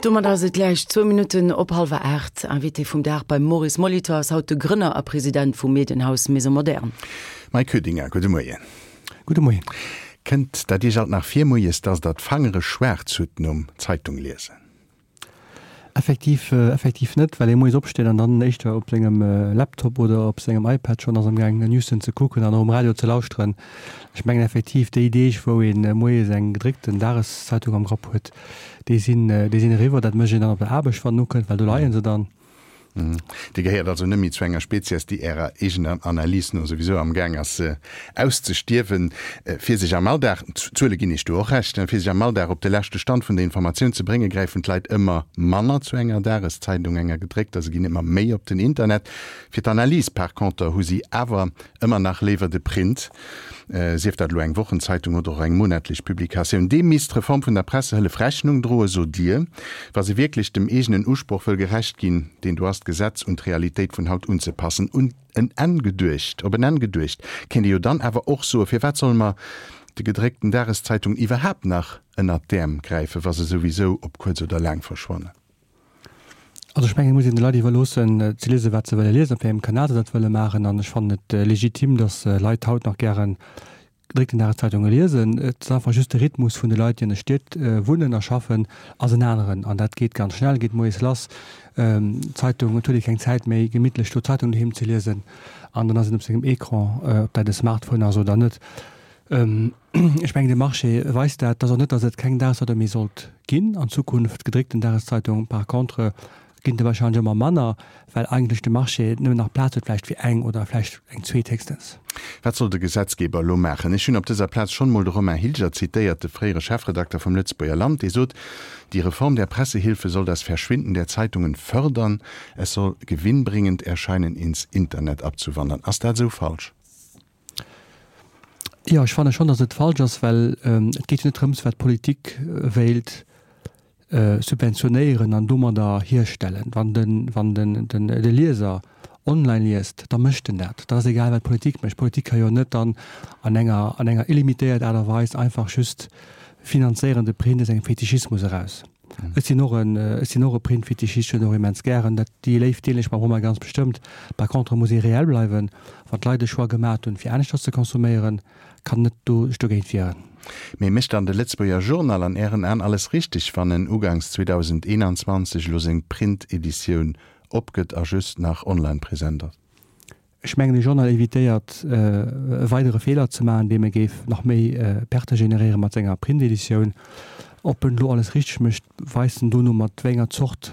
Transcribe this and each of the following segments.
Domat ass et gläich zwou Minutten op hallwer 8. Invité vum Dag beim Maurice Molitor ass haut de Grënner a President vum Medienhaus Maison Moderne. Mike Koedinger, gudde Moien. Gudde Moien. Kënnt dat Iech alt nach vir moies, dass Der d'Fangere schwaarz hutt nom Zeitung liesen? Effektiv, effektiv net, well ee moies opsteet an dann éischter op sengem Laptop oder op sengem iPad schonn ass amgaang Newsen ze kucken an och um Radio ze lauschteren. Ech mengen effektiv déi Deeg wou ee moies eng gedréckten Dageszeitung am Grapp huet, déi sinn, déi sinn eriwwer. Dat mécht een dann op der Aarbecht wann en ukënnt, well do leie se dann. Dir gehéiert also net méi zu enger Spezies, déi Ärer eegener Analys no souwisou am Gaang ass auszestierwen. Fir sech am Alldag, d'Zuele ginn Iech do och Recht, fir sech am Alldag op de leschte Stand vun der Informatioun ze bréngen, gräifen d'Leit ëmmer manner zu enger Dageszeitung, enger gedréckter, se ginn ëmmer méi op den Internet. Fir d'Analys par conter hu si awer Ëmmer nach léiwer de Print, sief dat elo eng Wochenzeitung oder och eng monatlech Publikatioun. Deem misst d'Reform vun der Pressehëllef Rechnung droen, sot Dir, wa se wierklech dem eegenen Usproch wëll gerecht ginn, deen do ass, d'Gesetz un d'Realitéit vun haut unzepassen. Un en Enn geduecht, op en Enn geduecht, kéint ee jo dann awer och soen, Firwat solle mer de gedréckten Dageszeitungen iwwerhaapt nach ënnert d'Äerm gräifen, wa se souwisou op kuerz oder laang verschwannen? Also ech mengen, et muss een de Leit iwwerloossen ze liesen, wat se wëlle liesen, op wéi engem Kanal se dat wëlle maachen. An ech fannen et legitim, datt Leit haut nach gären gedréckten Dageszeitunge liesen. Et ass einfach just de Rhythmus vun de Leit, déi an de Stied wunnen a schaffen, ass en aneren. An dat geet ganz schnell, geet moies lass, d'Zeitung, et huet ee keng Zäit méi, gemittlech do d'Zeitung doheem ze liesen. An dann ass een op sengem Ecran, ob dat e Smartphone ass oder net. Ech mengen, de Marché weist dat. Et ass och net, datt et keng Dageszeitung méi sollt ginn an Zukunft. Gedréckten Dageszeitung par contre ginn der wahrscheinlech ëmmer manner, well eigentlech de Marché nëmmen nach Plaz huet vläicht fir eng oder vläicht eng zweet héchstens. Wat soll de Gesetzgeber elo maachen? Ech hunn op dëser Plaz schonn emol de Romain Hilger zitéiert, de fréiere Chefredakter vum Lëtzebuerger Land, dee sot, Die Reform der Pressehilfe soll das Verschwinden der Zeitungen fördern, es soll gewinnbringend erscheinen, ins Internet abzuwandern. Ass dat esou falsch? Jo, ech fanne schonn, datt et falsch ass, well et geet jo net drëms, wat d'Politik wéilt subventionéieren an domadder hierstellen. Wann de, wann den, den, de Lieser online liest, da mécht en dat. Da ass egal, wat d'Politik mécht. D'Politik ka jo net dann an enger, an enger illimitéiert Aart a Weis einfach just finanzéieren de Print aus engem Fetischismus eraus. Ech sinn och en, ech sinn och e Printfetischist, ech hunn och immens gären dat, déi Léift deelen ech mam Romain ganz bestëmmt. Par contre muss ee reell bleiwen, wann d'Leit e Choix gemat hunn fir aneschters ze consomméieren, kann net do sech dogéint wieren. Mee mécht dann de Lëtzebuerger Journal an Ären An alles richteg, wann en ugangs 2021 elo seng Print-Editioun opgëtt a just nach online present ass? Ech mengen, de Journal evitéiert e weidere Feeler ze maachen, deem e géif nach méi Perte generéiere mat senger Print-Editioun. Ob en elo alles richteg mécht, weist en dono, mat wéi enger Zort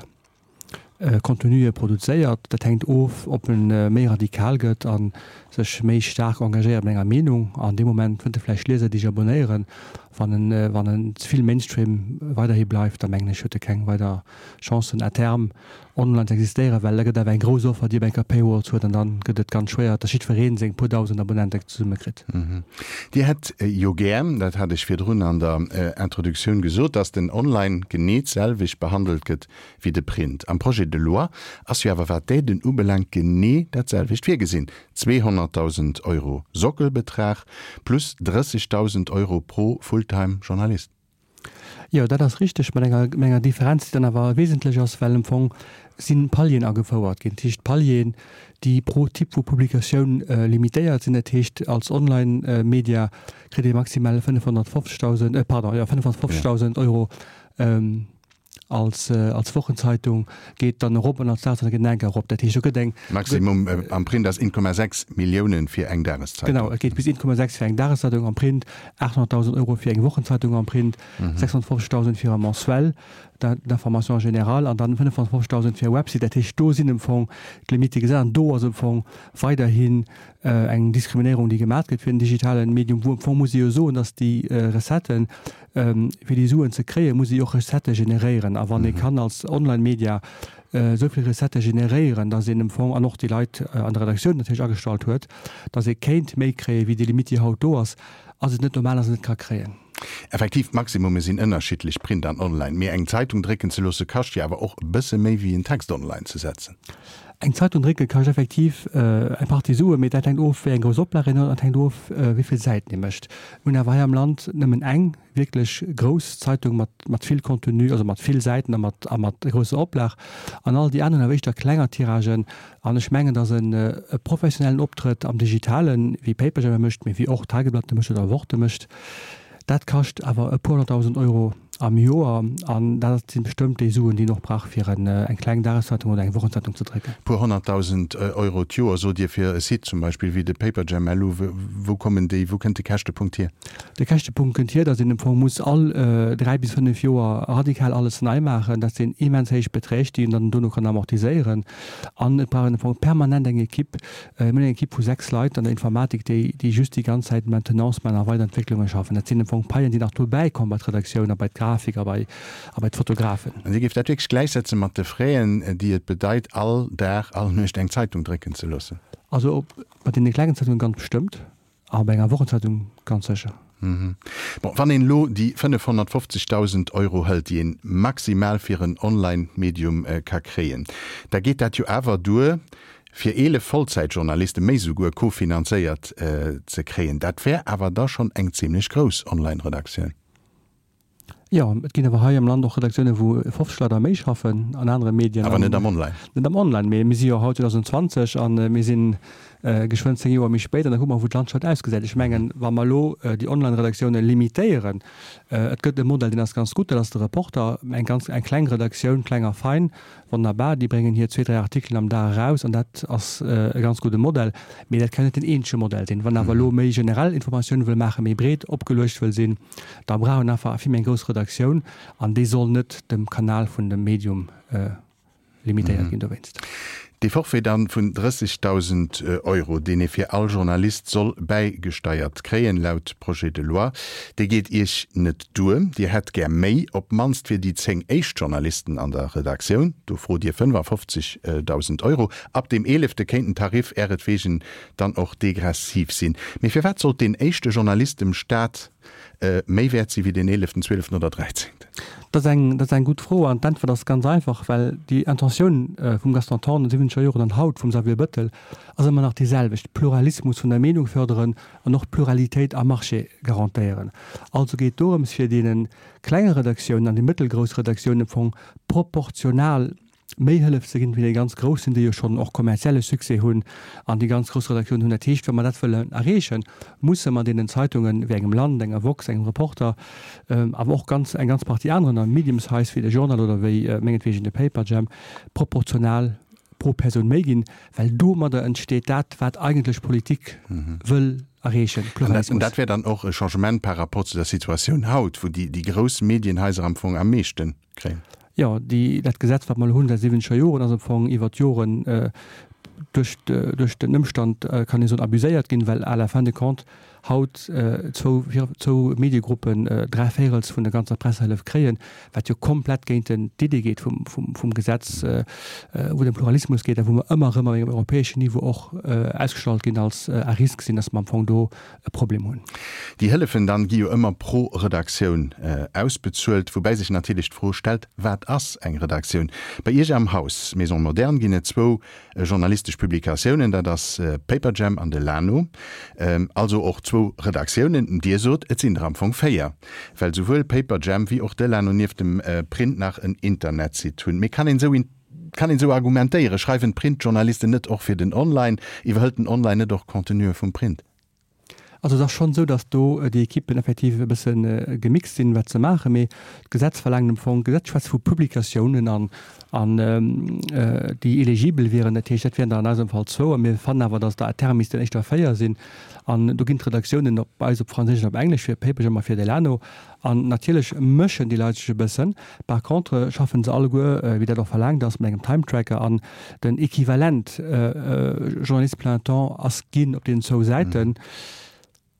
Contenu e produzéiert. Dat hänkt of, ob e méi radikal gëtt a sech méi staark engagéiert mat enger Meenung. An deem Moment fënnt e vläicht Lieser, déi sech abonéieren. Wann en, wann en ze vill Mainstream weiderhi bleift, da mengen ech, huet e keng weider Chancen à terme online ze existéieren, well da gëtt awer eng grouss Offer, déi op eng Kéier Paywalls huet an dann gëtt et ganz schwéier, dass jiddweree seng puer dausend Abonnenten zesummekritt. Dir hätt jo gär, dat hat ech virdrun an der Introductioun gesot, dass den Online genee d'selwecht behandelt gëtt wéi de Print. Am Projet de loi ass jo awer, wat d'Aiden ubelaangt, genee dat selwecht virgesinn, 200.000 Euro Sockelbetrag plus 30.000 Euro pro Fulltime-Journalist. Jo, dat ass richteg, mat enger, mat enger Differenz, déi dann awer wesentlech ass, well am Fong si Palieren agefouert ginn. Dat heescht Palieren, déi pro Typ vu Publikatioun limitéiert sinn. Dat heescht, als Online-Media kritt ee maximal 550.000, pardon, jo, 550.000 Euro als, als Wochenzeitung, geet dann erop an als Dageszeitung geet en enker erop. Dat heescht, do gëtt eng. Maximum am Print ass 1,6 Milliounen fir eng Dageszeitung. Genau, et geet bis 1,6 fir eng Dageszeitung am Print, 800.000 Euro fir eng Wochenzeitung am Print, 650.000 fir e Mensuel d'information générale an dann 550.000 fir e Website. Dat heescht, do sinn am Fong d'Limitte gesat an do ass am Fong weiderhin eng Diskriminéierung, déi gemat gëtt fir den digitalen Medium, wou am Fong muss ee jo soen, dass déi Recetten, Fir déi Suen ze kréien, muss ee jo och Recettë generéieren. A wann ee kann als Online-Media esou vill Recettë generéieren, datt een am Fong, an och déi Leit an der Redaktioun natierlech agestallt huet, datt ee kéint méi kréien, wéi déi Limitt, déi haut do ass, ass et net normal, datt een et net ka kréien. Effektiv, d'Maximumme sinn ënnerschiddlech, Print an Online. Mee eng Zeitung drécken ze loosse kascht jo awer och e bësse méi wéi en Text online ze setzen. Eng Zeitung drécke kascht effektiv eng Partie Suen, mee dat hänkt of wéi eng grouss Oplag een huet an dat hänkt of wéi vill Säiten ee mécht. Mir hunn awer hei am Land nëmmen eng wierklech grouss Zeitung mat mat vill Contenu, also mat vill Säiten a mat a mat grousser Oplag an all déi aner hunn awer éischter klenger Tiragen. An ech mengen, datt en e professionellen Optrëtt am Digitalen, wéi Paperjam e mécht, mee wéi och Tageblatt e mécht oder Wort e mécht, dat kascht awer e puer honnertdausend Euro am Joer. An dat si bestëmmt déi Suen, déi een och brauch, fir eng kleng Dageszeitung oder eng Wochenzeitung ze drécken. E puer honnertdausend Euro d'Joer, sot Dir, fir e Site zum Beispill wéi de Paperjam LU. Wou kommen déi, wou kënnt de Käschtepunkt hier? De Käschtepunkt kënnt hier, datt een am Fong muss all 3 bis 5 Joer radikal alles nei maachen. Dat sinn immens héich Beträg, déi een dann dono kann amortiséieren. An et brauch een am Fong permanent eng Equipe. Mir hunn eng Equipe vu 6 Leit an der Informatik, déi, déi just déi ganz Zäit Maintenance maachen a Weiderentwécklunge schaffen. Dat sinn am Fong Paien, déi nach dobäi kommen bei d'Redaktioun a bei d'Grafik a bei, a bei d'Fotografen. An Dir géift dat wierklech gläichsetze mat de Fräen, déi et bedeit, all Dag, all Nuecht eng Zeitung drécken ze loossen? Also bei deene klengen Zeitungen ganz bestëmmt. A bei enger Wochenzeitung ganz sécher. Bon, wann een elo déi 550.000 Euro hëlt, déi een maximal fir en Online-Medium ka kréien, da geet dat jo awer duer, fir 11 Vollzäitjournalisten, méi souguer, kofinanzéiert ze kréien. Dat wär awer da schonn eng zimlech grouss Online-Redaktioun. Jo, et ginn awer hei am Land och Redaktiounen, wou 50 Leit a méi schaffen an anere Medien. Awer net am Online. Net am Online, mee mir si jo haut 2020 a mir si geschwënn 10 Joer méi spéit an da kucke mer, wou d'Landschaft ausgesäit. Ech mengen, wa mer elo déi Online-Redaktiounen limitéieren, et gëtt e Modell, deen ass ganz gutt, dat ass de Reporter, eng ganz, eng kleng Redaktioun, kleng a fein, Wonnerbar, déi bréngen hir zwee, dräi Artikelen am Dag eraus an dat ass e ganz gudde Modell. Mee dat kann net den eenzege Modell sinn. Wann awer elo méi generell Informatioun wëll maachen, méi breet opgeluecht wëll sinn, da brauch een einfach vill méi eng grouss Redaktioun an déi soll net dem Kanal vun dem Medium limitéiert ginn dowéinst. Dee Forfait dann vun 30.000 Euro, deen ee fir all Journalist soll bäigesteiert kréien, laut Projet de loi, dee geet Iech net duer. Dir hätt gär méi, op d'mannst fir déi 10 éischt Journalisten an der Redaktioun. Do frot Dir 55.000 Euro. Ab deem eelefte kéint den Tarif äretwegen dann och degressiv sinn. Mee firwat sollt deen éischte Journalist dem Staat méi wäert si wéi deen eeleften, zwieleften oder dräizéngten? Dat ass eng, dat ass eng gutt Fro an d'Äntwert ass ganz einfach, well déi Intentioun vum Gaston Thorn an de siwwenzeger Joren an haut vum Xavier Bettel ass ëmmer nach déi selwecht, Pluralismus vun der Meenung förderen an och d'Pluralitéit am Marché garantéieren. Also geet et dorëms fir deene klenge Redaktiounen an déi mëttelgrouss Redaktiounen am Fong proportional méi Hëllef ze ginn, wéi déi ganz Groussen, déi jo schonn och kommerzielle Succès hunn an déi ganz grouss Redaktiounen hunn. Dat heescht, wa mer dat wëllen erreechen, musse mer deenen Zeitungen, wéi engem Land, enger Woxx, engem Reporter, awer och ganz, eng ganz Partie aneren a medium size wéi de Journal oder wéi mengetwegen de Paperjam, proportional pro Persoun méi ginn, well domadder entsteet dat, wat eigentlech d'Politik wëll erreechen, Pluralismus. An dat wär dann och e Changement par rapport zu der Situatioun haut, wou déi grouss Medienhaiser am Fong am meeschten kréien. Jo, déi, dat Gesetz, wat mer elo hunn säit siwwenzeger Joren, ass am Fong iwwer d'Joren duerch, duerch den Ëmstand, kann ee soen, abuséiert ginn, well à la fin de compte haut zwou, zwou Mediegruppen dräivéirels vun der ganzer Pressehëllef kréien, wat jo komplett géint den, d'Idee geet vum, vum, vum Gesetz, wou et ëm Pluralismus geet a wou mer ëmmer erëm op engem europäeschen Niveau och ausgestallt ginn als à risque sinn, dass mer am Fong do e Problem hunn. Déi Hëllefen dann gi jo ëmmer pro Redaktioun ausbezuelt, woubäi sech natierlech d'Fro stellt, Wat ass eng Redaktioun? Bei Iech am Haus, Maison Moderne, ginn et zwou journalistesch Publikatiounen, dat ass Paperjam an de Lano, also och zwou Redaktiounen. Dir sot, et sinn der am Fong 4, well souwuel Paperjam wéi och de Lano nieft dem Print nach en Internetsite hunn. Mee kann een esou Kann een esou argumentéieren? Schreiwen d'Printjournalisten net och fir den Online? Iwwerhëlt den Online net och Contenue vum Print? Also et ass schonn esou, datt do déi Ekippen effektiv e bësse gemixt sinn, wat se maachen. Mee d'Gesetz verlaangt am Fong, d'Gesetz schwätzt vu Publikatiounen an, an déi eligibel wieren. Dat heescht, dat wieren der an eisem Fall zwou. A mir fannen awer, datt der à terme missten éischter 4 sinn. An do ginn d'Redaktiounen op eis op Franséisch an op Englesch fir Paperjam a fir Delano. An natierlech mëschen déi Leit sech e bëssen. Par contre schaffen se alleguer, wéi dat och verlaangt ass, mat engem Time-Tracker an den Equivalent Journaliste plein temps ass ginn op deenen zwou Säiten.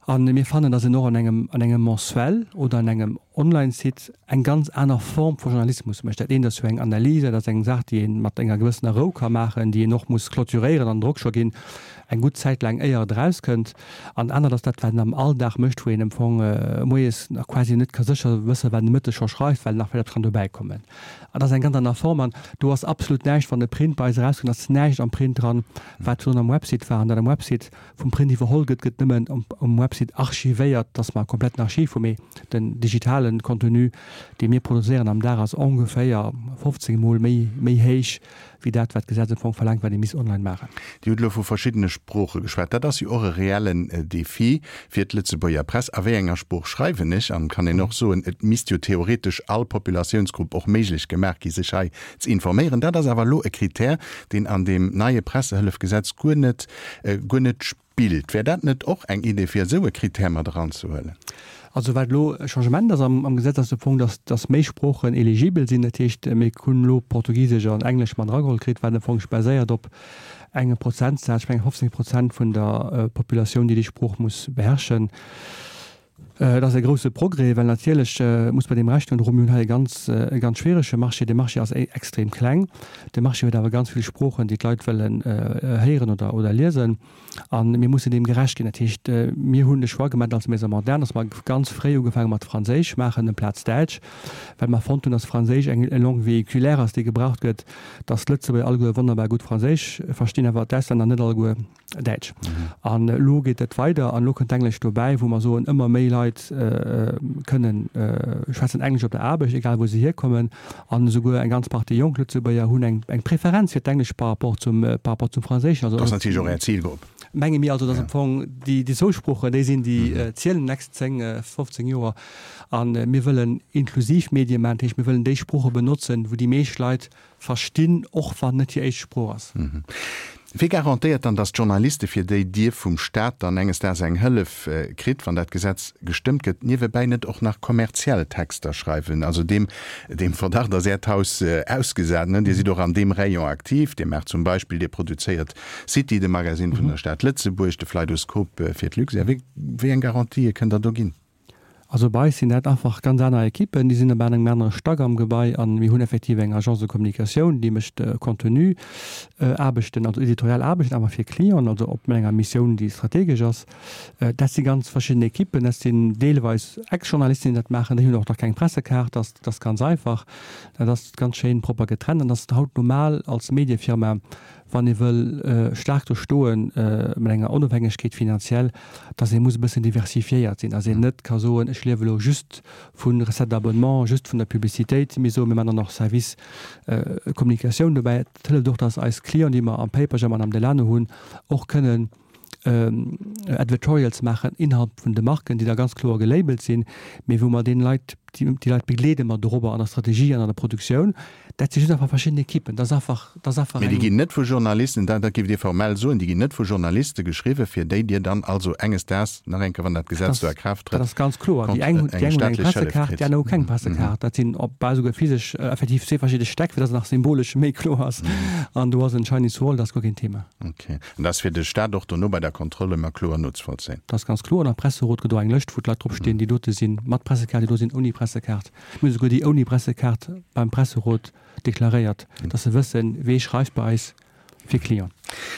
A mir fannen, datt een och an engem, an engem Mensuel oder an engem. Online-Site eng ganz aner Form vu Journalismus mécht. Dat eent ass jo eng Analys, dat ass eng Saach, déi ee mat enger gewëssener Rou ka maachen, déi een och muss clôturéieren an Drock scho ginn, eng gutt Zäit laang éier et erauskënnt. An dat anert ass dat, wat een am Alldag mécht, wou een am Fong moies nach quasi net ka sécher wëssen, wat een de Mëtteg scho schreift, well nach vläicht eppes kann dobäi kommen. An dat ass eng ganz aner Form. An do ass absolut näischt, wann e Print bei eis erauskënnt, ass näischt am Print dran, wat virdrun am Website war. An dat am Website vum Print iwwerholl gëtt, gëtt nëmmen um Website archivéiert, dass mer e kompletten Archiv hu mee den digitalen Contenu, dee mir produzéieren am Dag, ass ongeféier 15 mol méi méi héich wéi dat, wat d'Gesetz am Fong verlaangt, wat ee misst online maachen. Dir hutt elo vu verschiddene Sprooche geschwat. Dat ass jo och e reellen Defi fir d'Lëtzebuerger Press. A wéi enger Sprooch schreiwen ech? An kann een och soen, et misst jo theoretesch all Populatiounsgrupp och méiglech gemaach gi sech hei z'informéieren. Dat ass awer elo e Kritär, deen an deem neie Pressehëllefgesetz guer net guer net spillt. Wär dat net och eng Idee fir esou e Kritär mat eranzehuelen? Also wat elo e Changement ass am Gesetz ass de Punkt, dass dass méi Sproochen eligibel sinn. Dat heescht, mir hunn elo Portugisesch an Englesch mat erageholl kritt, wat am Fong sech baséiert op engem Prozentsaz, ech mengen 15 Prozent vun der Populatioun, déi déi Sprooch muss beherrschen. Et ass e grousse Progrès, well natierlech muss mer deem Rechnung droen, mir hunn hei e ganz, e ganz schwierege Marché. De Marché ass extrem kleng. De Marché huet awer ganz vill Sproochen, déi d'Leit wëllen héieren oder, oder liesen. A mir mussen deem gerecht ginn. Dat heescht, mir hunn de Choix gemaach als Maison Moderne, dass mer ganz fréi ugefaange mat Franséisch maachen amplaz Däitsch, well mer fonnt hunn, dass Franséisch eng Langue véhiculaire ass, déi gebraucht gëtt, dass d'Lëtzebuerger alleguer wonnerbar gutt Franséisch verstinn, awer d'Auslänner net alleguer. Däitsch. An elo geet et weider an elo kënnt d'Englesch dobäi, wou mer soen, ëmmer méi Leit kënnen schwätzen Englesch op der Aarbecht, egal wou se hierkommen. An esouguer eng ganz Partie jonk Lëtzebuerger hunn eng eng Preferenz fir d'Englesch par rapport zum par rapport zum Franséischen. Also. Dat ass natierlech och Är Zilgrupp. Menge mir also, dass am Fong déi déi zwou Sproochen déi sinn, déi zielen déi nächst 10, 15 Joer. A mir wëllen inklusiv Medie maachen, dat heescht mir wëllen déi Sprooche benotzen, wou déi meescht Leit Verstinn, och wann net hir éischt Sprooch ass. Wie garantéiert dann, datt d'Journaliste, fir déi Dir vum Staat dann enges Daags eng Hëllef kritt, wann dat Gesetz gestëmmt gëtt, niewebäi net och nach kommerziell Texter schreiwen? Also deem, deem Verdacht ass Äert Haus ausgesat, ne? Dir sidd och an deem Rayon aktiv. Dir maacht zum Beispill, Dir produzéiert City, de Magasinn vun der Stad Lëtzebuerg, de Fleidoskop fir d'Luxair. Wéi, wéi eng Garantië kënnt Der do ginn? Also bei eis sinn dat einfach ganz aner Ekippen, déi sinn op engem anere Stack am Gebai a mir hunn effektiv eng Agence de communication, déi mécht Contenu Aarbechten, also editorial Aarbechten, awer fir Clienten, also op enger Missioun, déi strategesch ass. Dat si ganz verschidden Ekippen, dat sinn deelweis Ex-Journalisten, déi dat maachen, déi hunn och nach keng Pressekaart, dat ass ganz einfach, dat ass ganz schéin propper getrennt an dat ass haut normal als Mediefirma, wann ee wëll staark do stoen mat enger Onofhängegkeet finanziell, dass ee muss e bëssen diversifiéiert sinn, dass een net ka soen, ech liewe elo just vu Recettes d'abonnement, just vun der Publicitéit, mee soen, mir maachen dann och Service Communicatioun dobäi. Dat hëlleft och, dass eis Clienten, déi mer am Paperjam an am Delano hunn, och kënnen Advertorials maachen innerhalb vun de Marken, déi da ganz kloer gelabelt sinn, mee wou mer deene Leit, déi Leit begleede mer dorobber an der Strategie an an der Produktioun. Dat si just einfach verschidden Ekippen. Dat ass einfach, dat ass einfach Mee déi eng. ginn net vu Journalisten, dat dat géift Dir formell soen, déi ginn net vu Journaliste geschriwwen, fir déi Dir dann also enges Daags, nach eng Kéier, wann dat Dat Gesetz do a ass, Kraaft dat trëtt, ass ganz kloer. Déi eng hunn, déi eng eng hunn eng staatlech Hëllef Pressekaart, déi kritt. aner hu keng Pressekaart. Dat sinn op bal esouguer physesch effektiv zwee verschidde Stäck, fir dass et nach symbolesch méi kloer ass. An do ass en Chinese Wall, dat ass guer keen Thema. Ok. An dat ass fir de Staat och dono bei der Kontroll ëmmer kloer nozevollzéien. Dat ass ganz kloer. An am Presserot gëtt och eng Lëscht, wou d'Leit drop stinn, déi dote sinn mat Pressekaart, déi do sinn ouni Pressekaart. Mir hunn esouguer déi ouni Pressekaart beim Presserot deklaréiert, dass se wëssen, wee schreift bei eis fir Client.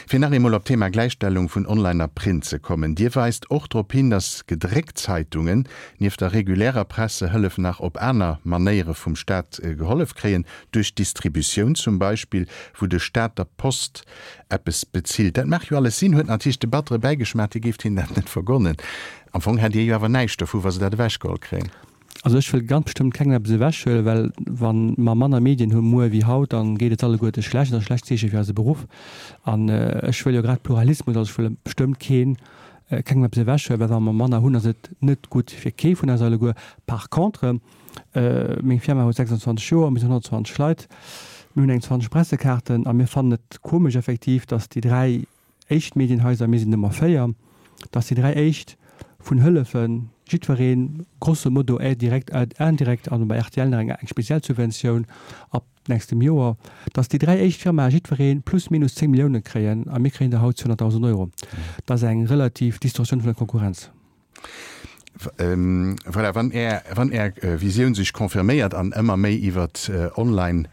Fir nach eemol op d'Thema Gläichstellung vun Online a Print ze kommen, Dir weist och drop hin, dass gedréckt Zeitungen nieft der regulärer Pressehëllef nach op aner Manéiere vum Staat gehollef kréien, duerch d'Distributioun zum Beispill, wou de Staat der Post eppes bezilt. Dat mag jo alles sinn, huet natierlech de battere Bäigeschmaach, Dir géift hinnen dat net vergonnen. Am Fong hätt Dir jo awer näischt dovu, wa se dat ewechgeholl kréien. Also ech wëll ganz bestëmmt kengem eppes ewechhuelen, well wa mer manner Medien hu muer wéi haut, dann geet et alleguerte schlecht. Dat ass e schlecht Zeeche fir eise Beruff. An ech wëll jo grad Pluralismus, also ech wëll bestëmmt keen, kengem eppes ewechhuelen, well wa mer manner hunn, ass et net gutt fir kee vun eis alleguer. Par contre, meng Firma huet 26 Joer, mir sinn 120 Leit, mir hunn eng 20 Pressekaarten a mir fannen et komesch effektiv, datt déi dräi éischt Medienhaiser, mir sinn Nummer 4, dass déi 3 éischt vun Hëllefen, jiddwereen grosso modo aide directe, aide indirecte an bei rtl nach eng eng speziell Subventioun ab nächstem Joer, dass déi 3 éischt Firmae jiddweree plus minus 10 Milliounen kréien a mir kréien der haut 200.000 Euro. Dat ass eng relativ Distorsioun vun der Konkurrenz. Voilà, wann Är, wann Är Visioun sech confirméiert an ëmmer méi iwwert online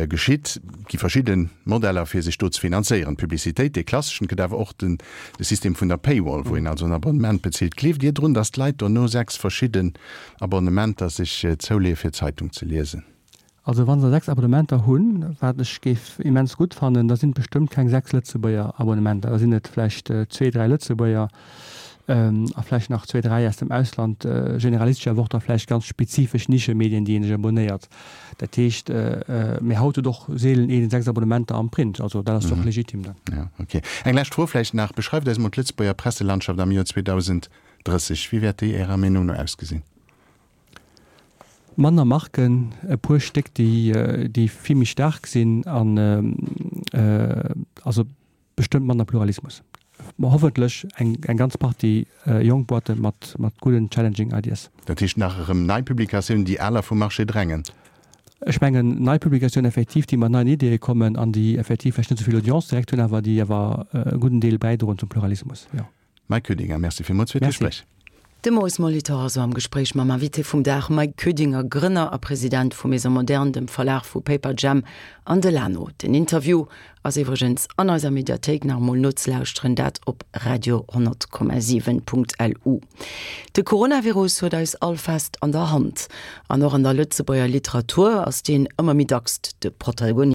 geschitt, gi verschidde Modeller fir sech do ze finanzéieren. D'Publicitéit, dee klasseschen, et gëtt awer och den, de System vun der Paywall, wou een also en Abonnement bezilt. Gleeft Dir drun, datt d'Leit dono 6 verschidden Abonnementer sech zouleeë fir d'Zeitung ze liesen? Also wa se 6 Abonnementer hunn, wat ech géif immens gutt fannen, da sinn et bestëmmt keng 6 Lëtzebuerger Abonnementer, da sinn et vläicht zwee, dräi Lëtzebuerger a vläicht nach zwee, dräi aus dem Ausland, generalistesch, awer och da vläicht ganz spezifesch Nischemedien, déi ee sech abonéiert. Dat heescht, mee haut huet och seelen een 6 Abonnementer am Print, also dat ass och legitim dann. Jo, okay. Eng lescht Fro vläicht nach, Beschreift eis emol d'Lëtzebuerger Presselandschaft am Joer 2030. Wéi wäert déi Ärer Meenung no ausgesinn? Manner Marken, e puer Stéck, déi déi vill méi staark sinn an also bestëmmt manner Pluralismus. Ma hoffentlech eng eng ganz Partie jonk Boîte mat mat gudden challenging ideas. Dat heescht nach erëm nei Publikatiounen, déi aler vum Marché drängen? Ech mengen nei Publikatiounen effektiv, déi mat neien Ideeë kommen an déi effektiv vläicht net esou vill Audience direkt hunn, awer déi awer e gudden Deel bäidroen zum Pluralismus, jo. Mike Koedinger, Merci villmools fir d'Gespréich. De Maurice Molitor also am Gespréich mam Invité vum Dag, Mike Koedinger, Grënner a President vu Maison Moderne, dem Verlag vu Paperjam an Delano. Den Interview ass iwwregens an eiser Mediathéik nach emol nozelauschteren, dat op radio10,7.lu. De Coronavirus huet eis all fest an der Hand. An och an der Lëtzebuerger Literatur ass deen ëmmer méi dacks de Protagonist.